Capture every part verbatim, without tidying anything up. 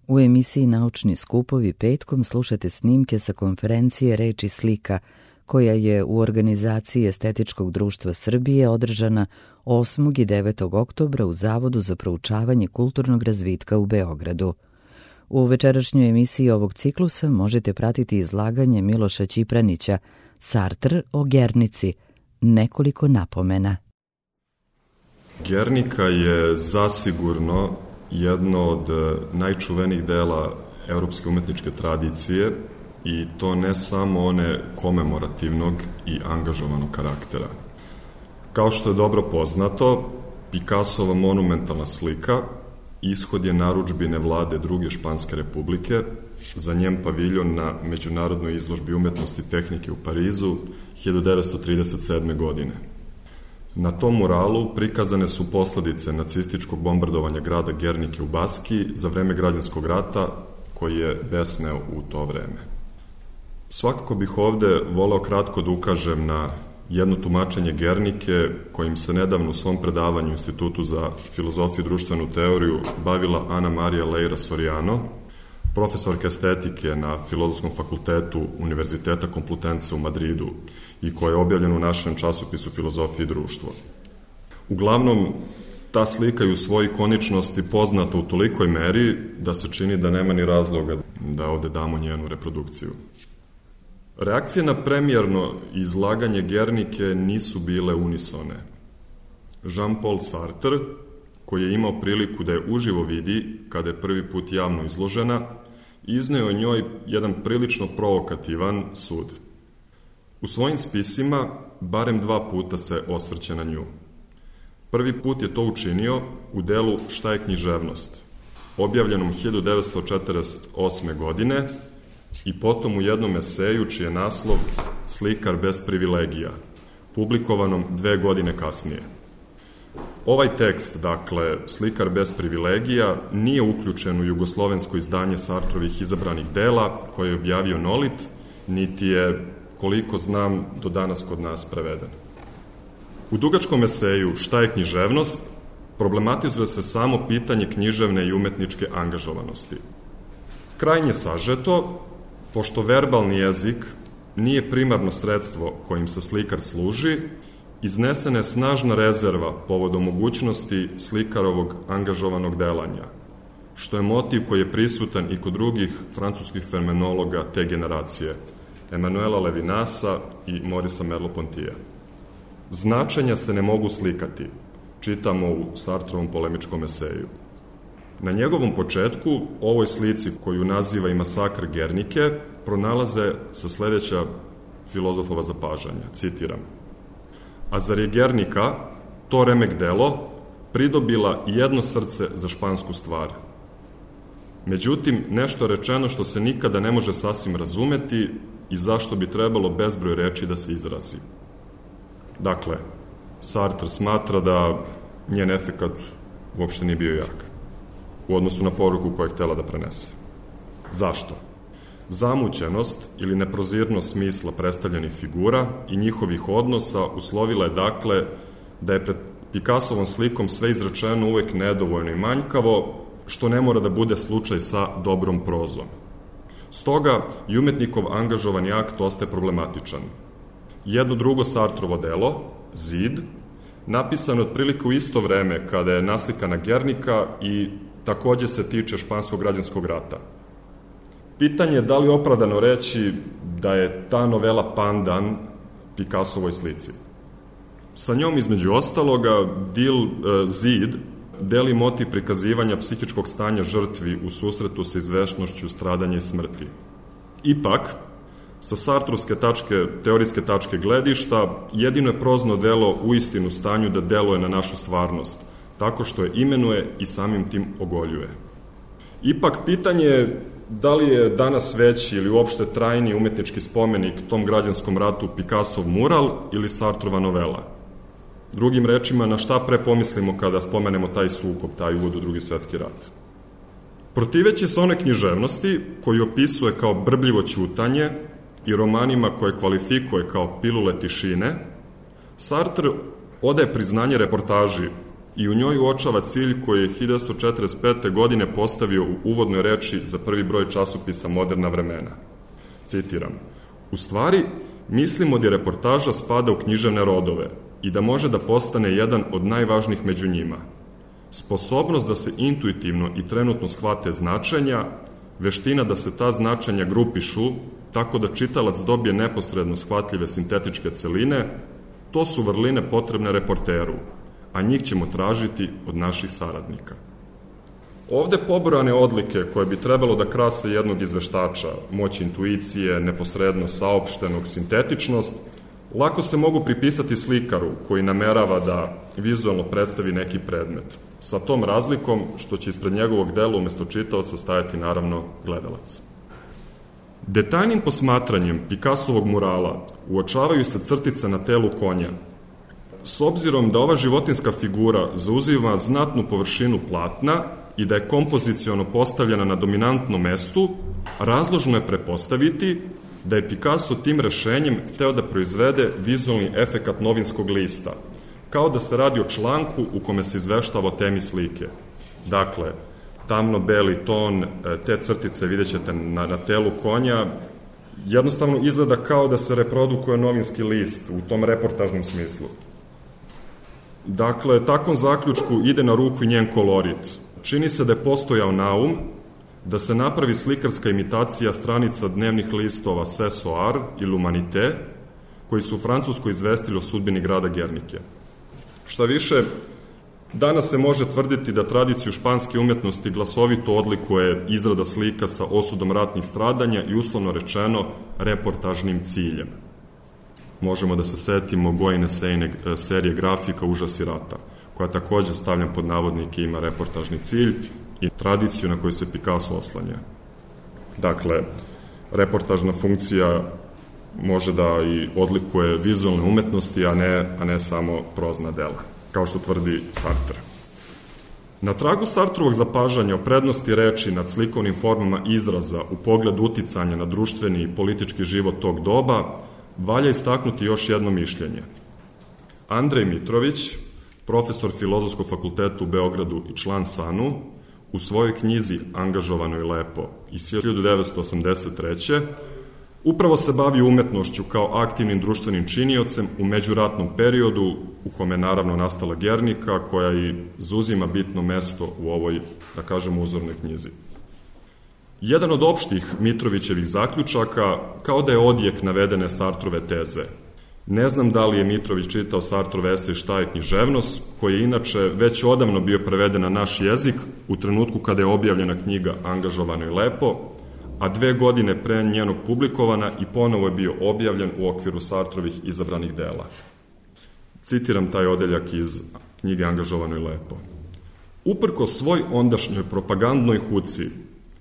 U emisiji Naučni skupovi petkom slušate snimke sa konferencije Reč i slika, koja je u organizaciji Estetičkog društva Srbije održana osmog i devetog oktobra u Zavodu za proučavanje kulturnog razvitka u Beogradu. U večerašnjoj emisiji ovog ciklusa možete pratiti izlaganje Miloša Ćipranića Sartre o Gernici, nekoliko napomena. Gernika je zasigurno jedno od najčuvenijih dela evropske umetničke tradicije i to ne samo one komemorativnog i angažovanog karaktera. Kao što je dobro poznato, Picassova monumentalna slika ishod je narudžbine vlade druge Španske republike za njen paviljon na Međunarodnoj izložbi umetnosti i tehnike u Parizu hiljadu devetsto trideset sedme. godine. Na tom muralu prikazane su posledice nacističkog bombardovanja grada Gernike u Baskiji za vreme građanskog rata koji je besneo u to vreme. Svakako bih ovde voleo kratko da ukažem na jedno tumačenje Gernike kojim se nedavno u svom predavanju u Institutu za filozofiju i društvenu teoriju bavila Ana Marija Leira Soriano, profesorka estetike na Filozofskom fakultetu Univerziteta Complutense u Madridu i koja je objavljena u našem časopisu Filozofije i društvo. Uglavnom, ta slika je u svojoj ikoničnosti poznata u tolikoj meri da se čini da nema ni razloga da ovde damo njenu reprodukciju. Reakcije na premijerno izlaganje Gernike nisu bile unisone. Jean-Paul Sartre, koji je imao priliku da je uživo vidi kada je prvi put javno izložena, izneo o njoj jedan prilično provokativan sud. U svojim spisima barem dva puta se osvrće na nju. Prvi put je to učinio u delu Šta je književnost, objavljenom hiljadu devetsto četrdeset osme. godine i potom u jednom eseju čiji je naslov Slikar bez privilegija, publikovanom dve godine kasnije. Ovaj tekst, dakle, Slikar bez privilegija, nije uključen u jugoslovensko izdanje Sartrovih izabranih dela koje je objavio Nolit, niti je, koliko znam, do danas kod nas preveden. U dugačkom eseju Šta je književnost problematizuje se samo pitanje književne i umetničke angažovanosti. Krajnje sažeto, pošto verbalni jezik nije primarno sredstvo kojim se slikar služi, iznesena je snažna rezerva povodom mogućnosti slikarovog angažovanog delanja, što je motiv koji je prisutan i kod drugih francuskih fenomenologa te generacije, Emanuela Levinasa i Morisa Merleau-Pontyja. Značenja se ne mogu slikati, čitamo u Sartrovom polemičkom eseju. Na njegovom početku, ovoj slici koju naziva i Masakr Gernike, pronalaze sa sledeća filozofova zapažanja, citiram: a zar je Gernika, to remek delo, pridobila jedno srce za špansku stvar. Međutim, nešto rečeno što se nikada ne može sasvim razumeti i zašto bi trebalo bezbroj reči da se izrazi. Dakle, Sartre smatra da njen efekat uopšte nije bio jak u odnosu na poruku koju je htela da prenese. Zašto? Zamućenost ili neprozirnost smisla predstavljenih figura i njihovih odnosa uslovila je dakle da je pred Picassovom slikom sve izrečeno uvek nedovoljno i manjkavo, što ne mora da bude slučaj sa dobrom prozom. Stoga i umetnikov angažovani akt ostaje problematičan. Jedno drugo Sartrovo delo, Zid, napisano je otprilike u isto vreme kada je naslikana Gernika i takođe se tiče španskog građanskog rata. Pitanje je da li je opravdano reći da je ta novela pandan Picassovoj slici. Sa njom, između ostaloga, Dil e, Zid deli motiv prikazivanja psihičkog stanja žrtvi u susretu sa izvešnošću stradanja i smrti. Ipak, sa sartrovske tačke, teorijske tačke gledišta, jedino je prozno delo u istinu stanju da deluje na našu stvarnost, tako što je imenuje i samim tim ogoljuje. Ipak, pitanje je da li je danas veći ili uopšte trajni umetnički spomenik tom građanskom ratu Picassov mural ili Sartrova novela. Drugim rečima, na šta pre pomislimo kada spomenemo taj sukob, taj uvod u Drugi svetski rat. Protiveći se one književnosti koju opisuje kao brbljivo ćutanje i romanima koje kvalifikuje kao pilule tišine, Sartre odaje priznanje reportaži i u njoj uočava cilj koji je hiljadu četiristo četrdeset pete. godine postavio u uvodnoj reči za prvi broj časopisa Moderna vremena. Citiram: "U stvari, mislimo da reportaža spada u književne rodove i da može da postane jedan od najvažnijih među njima. Sposobnost da se intuitivno i trenutno shvate značenja, veština da se ta značenja grupišu tako da čitalac dobije neposredno shvatljive sintetičke celine, to su vrline potrebne reporteru, a njih ćemo tražiti od naših saradnika." Ovde pobrojane odlike koje bi trebalo da krase jednog izveštača, moć intuicije, neposrednost saopštenog, sintetičnost, lako se mogu pripisati slikaru koji namerava da vizualno predstavi neki predmet, sa tom razlikom što će ispred njegovog dela umesto čitaoca stajati naravno gledalac. Detaljnim posmatranjem Picassovog murala uočavaju se crtice na telu konja. S obzirom da ova životinska figura zauzima znatnu površinu platna i da je kompoziciono postavljena na dominantnom mestu, razložno je prepostaviti da je Picasso tim rešenjem hteo da proizvede vizualni efekat novinskog lista, kao da se radi o članku u kome se izveštava o temi slike. Dakle, tamno-beli ton, te crtice vidjet ćete na, na telu konja, jednostavno izgleda kao da se reprodukuje novinski list u tom reportažnom smislu. Dakle, takvom zaključku ide na ruku i njen kolorit. Čini se da je postojao naum da se napravi slikarska imitacija stranica dnevnih listova Ce Soir i L'Humanité, koji su u Francuskoj izvestili o sudbini grada Gernike. Šta više, danas se može tvrditi da tradiciju španske umetnosti glasovito odlikuje izrada slika sa osudom ratnih stradanja i uslovno rečeno reportažnim ciljem. Možemo da se setimo Gojine Sejne serije grafika Užasi rata, koja takođe, stavljam pod navodnike, ima reportažni cilj i tradiciju na koju se Picasso oslanja. Dakle, reportažna funkcija može da i odlikuje vizualne umetnosti, a ne, a ne samo prozna dela, kao što tvrdi Sartre. Na tragu Sartrovog zapažanja o prednosti reči nad slikovnim formama izraza u pogledu uticanja na društveni i politički život tog doba, valja istaknuti još jedno mišljenje. Andrej Mitrović, profesor Filozofskog fakulteta u Beogradu i član SANU, u svojoj knjizi Angažovano i lepo iz hiljadu devetsto osamdeset treće. upravo se bavi umetnošću kao aktivnim društvenim činiocem u međuratnom periodu u kome je naravno nastala Gernika, koja i zauzima bitno mesto u ovoj, da kažemo, uzornoj knjizi. Jedan od opštih Mitrovićevih zaključaka kao da je odjek navedene Sartrove teze. Ne znam da li je Mitrović čitao Sartrov esej Šta je književnost, koji je inače već odavno bio preveden na naš jezik u trenutku kada je objavljena knjiga Angažovano i lepo, a dve godine pre njenog publikovana i ponovo je bio objavljen u okviru Sartrovih izabranih dela. Citiram taj odeljak iz knjige Angažovano i lepo. Uprko svoj ondašnjoj propagandnoj huci,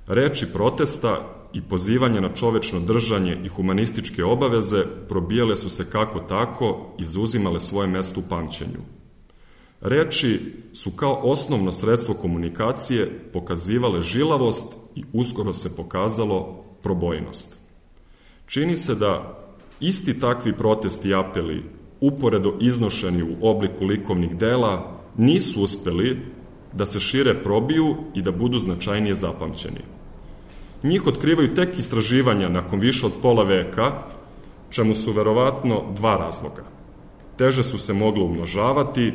reči protesta i pozivanja na čovečno držanje i humanističke obaveze probijale su se kako tako i zauzimale svoje mesto u pamćenju. Reči su kao osnovno sredstvo komunikacije pokazivale žilavost i uskoro se pokazalo probojnost. Čini se da isti takvi protesti i apeli, uporedo iznošeni u obliku likovnih dela, nisu uspeli da se šire probiju i da budu značajnije zapamćeni. Njih otkrivaju tek istraživanja nakon više od pola veka, čemu su verovatno dva razloga. Teže su se moglo umnožavati,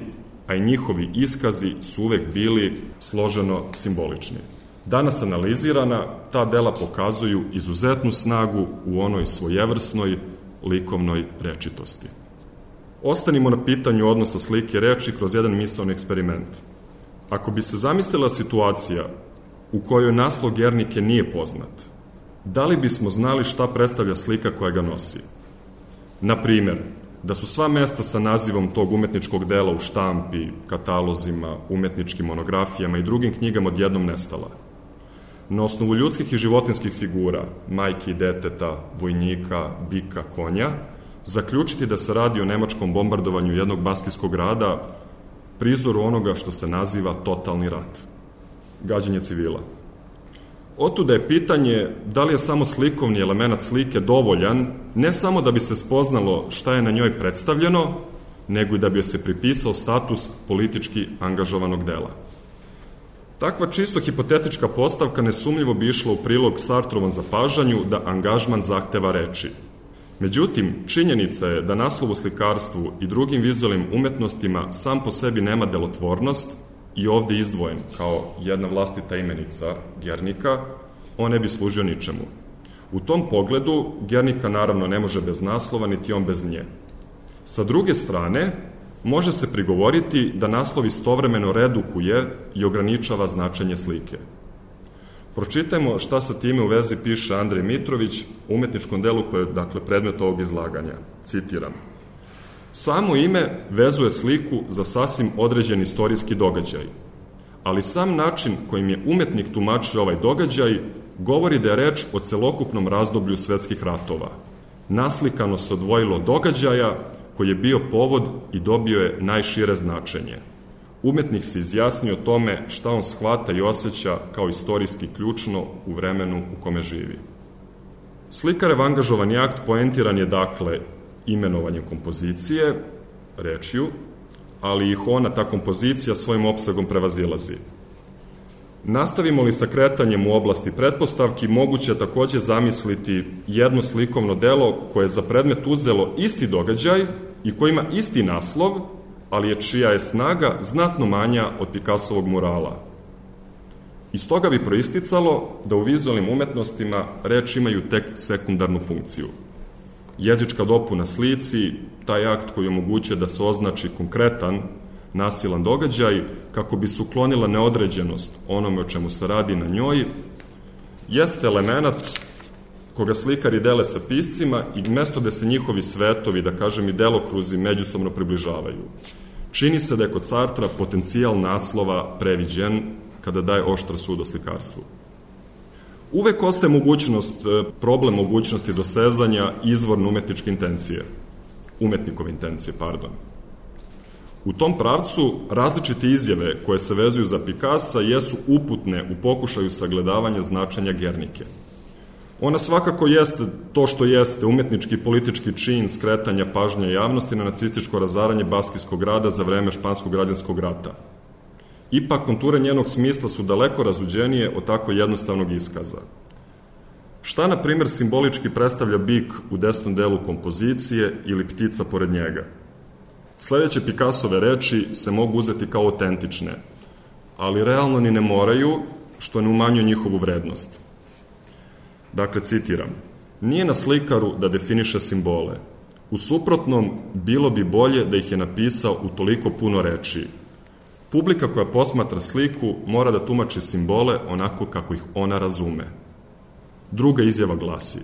a i njihovi iskazi su uvek bili složeno simbolični. Danas analizirana, ta dela pokazuju izuzetnu snagu u onoj svojevrsnoj likovnoj rečitosti. Ostanimo na pitanju odnosa slike i reči kroz jedan misaoni eksperiment. Ako bi se zamislila situacija u kojoj naslov Gernike nije poznat, da li bismo znali šta predstavlja slika koja ga nosi? Na primer, da su sva mesta sa nazivom tog umetničkog dela u štampi, katalozima, umetničkim monografijama i drugim knjigama odjednom nestala. Na osnovu ljudskih i životinskih figura, majke i deteta, vojnika, bika, konja, zaključiti da se radi o nemačkom bombardovanju jednog baskijskog grada, prizoru onoga što se naziva totalni rat, gađanje civila. Otuda je pitanje da li je samo slikovni element slike dovoljan ne samo da bi se spoznalo šta je na njoj predstavljeno, nego i da bi joj se pripisao status politički angažovanog dela. Takva čisto hipotetička postavka nesumnjivo bi išla u prilog Sartrovom zapažanju da angažman zahteva reči. Međutim, činjenica je da naslov u slikarstvu i drugim vizualnim umetnostima sam po sebi nema delotvornost i ovde izdvojen kao jedna vlastita imenica Guernica, on ne bi služio ničemu. U tom pogledu Guernica naravno ne može bez naslova, niti on bez nje. Sa druge strane, može se prigovoriti da naslov istovremeno redukuje i ograničava značenje slike. Pročitajmo šta sa time u vezi piše Andrej Mitrović u umetničkom delu koje je, dakle, predmet ovog izlaganja. Citiram. Samo ime vezuje sliku za sasvim određen istorijski događaj, ali sam način kojim je umetnik tumačio ovaj događaj govori da je reč o celokupnom razdoblju svetskih ratova. Naslikano se odvojilo događaja koji je bio povod i dobio je najšire značenje. Umetnik se izjasnio o tome šta on shvata i osjeća kao istorijski ključno u vremenu u kome živi. Slikarev angažovani akt poentiran je dakle imenovanjem kompozicije, rečju, ali ih ona, ta kompozicija, svojim opsegom prevazilazi. Nastavimo li sa kretanjem u oblasti pretpostavki, moguće je takođe zamisliti jedno slikovno delo koje je za predmet uzelo isti događaj i koji ima isti naslov, ali je čija je snaga znatno manja od Picassovog murala. Iz toga bi proisticalo da u vizualnim umetnostima reči imaju tek sekundarnu funkciju. Jezička dopuna slici, taj akt koji omogućuje da se označi konkretan, nasilan događaj, kako bi se uklonila neodređenost onome o čemu se radi na njoj, jeste element koga slikari dele sa piscima i mesto da se njihovi svetovi, da kažem i delokruzi, međusobno približavaju. Čini se da je kod Sartra potencijal naslova previđen kada daje oštar sud o slikarstvu. Uvek ostaje mogućnost, problem mogućnosti dosezanja izvorne umetničke intencije, umetnikove intencije, pardon. U tom pravcu različite izjave koje se vezuju za Picassa jesu uputne u pokušaju sagledavanja značenja Guernike. Ona svakako jeste to što jeste umetnički i politički čin skretanja pažnje javnosti na nacističko razaranje Baskijskog grada za vreme Španskog građanskog rata. Ipak, konture njenog smisla su daleko razuđenije od tako jednostavnog iskaza. Šta, na primjer, simbolički predstavlja bik u desnom delu kompozicije ili ptica pored njega? Sledeće Picassove reči se mogu uzeti kao autentične, ali realno ni ne moraju, što ne umanjuje njihovu vrednost. Dakle, citiram, nije na slikaru da definiše simbole. U suprotnom, bilo bi bolje da ih je napisao u toliko puno reči. Publika koja posmatra sliku mora da tumači simbole onako kako ih ona razume. Druga izjava glasi,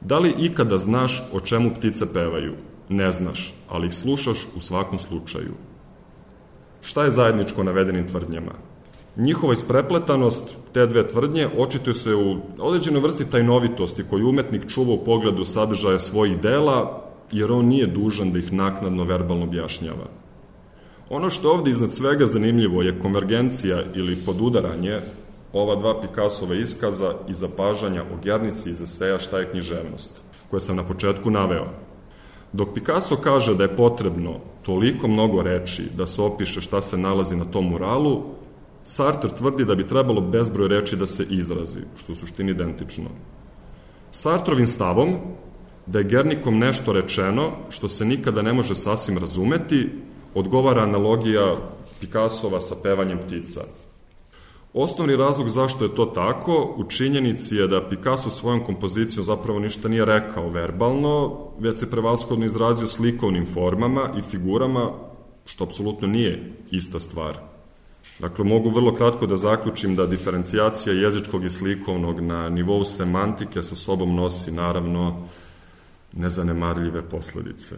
da li ikada znaš o čemu ptice pevaju? Ne znaš, ali ih slušaš u svakom slučaju. Šta je zajedničko navedenim tvrdnjama? Njihova isprepletanost, te dve tvrdnje, očituje se u određenoj vrsti tajnovitosti koju umetnik čuva u pogledu sadržaja svojih dela, jer on nije dužan da ih naknadno verbalno objašnjava. Ono što je ovde iznad svega zanimljivo je konvergencija ili podudaranje ova dva Picassova iskaza i zapažanja o Guernici iz eseja Šta je književnost, koje sam na početku naveo. Dok Picasso kaže da je potrebno toliko mnogo reči da se opiše šta se nalazi na tom muralu, Sartre tvrdi da bi trebalo bezbroj reči da se izrazi, što je u suštini identično. Sartrovim stavom da je Guernicom nešto rečeno što se nikada ne može sasvim razumeti, odgovara analogija Picassova sa pevanjem ptica. Osnovni razlog zašto je to tako u činjenici je da Picasso svojom kompozicijom zapravo ništa nije rekao verbalno, već se prevashodno izrazio slikovnim formama i figurama, što apsolutno nije ista stvar. Dakle, mogu vrlo kratko da zaključim da diferencijacija jezičkog i slikovnog na nivou semantike sa sobom nosi, naravno, nezanemarljive posledice.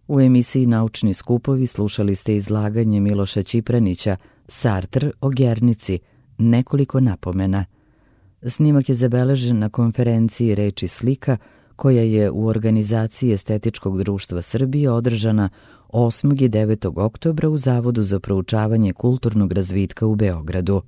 U emisiji Naučni skupovi slušali ste izlaganje Miloša Ćipranića Sartre o Guernici, nekoliko napomena. Snimak je zabeležen na konferenciji Reči slika koja je u organizaciji Estetičkog društva Srbije održana osmog i devetog oktobra u Zavodu za proučavanje kulturnog razvitka u Beogradu.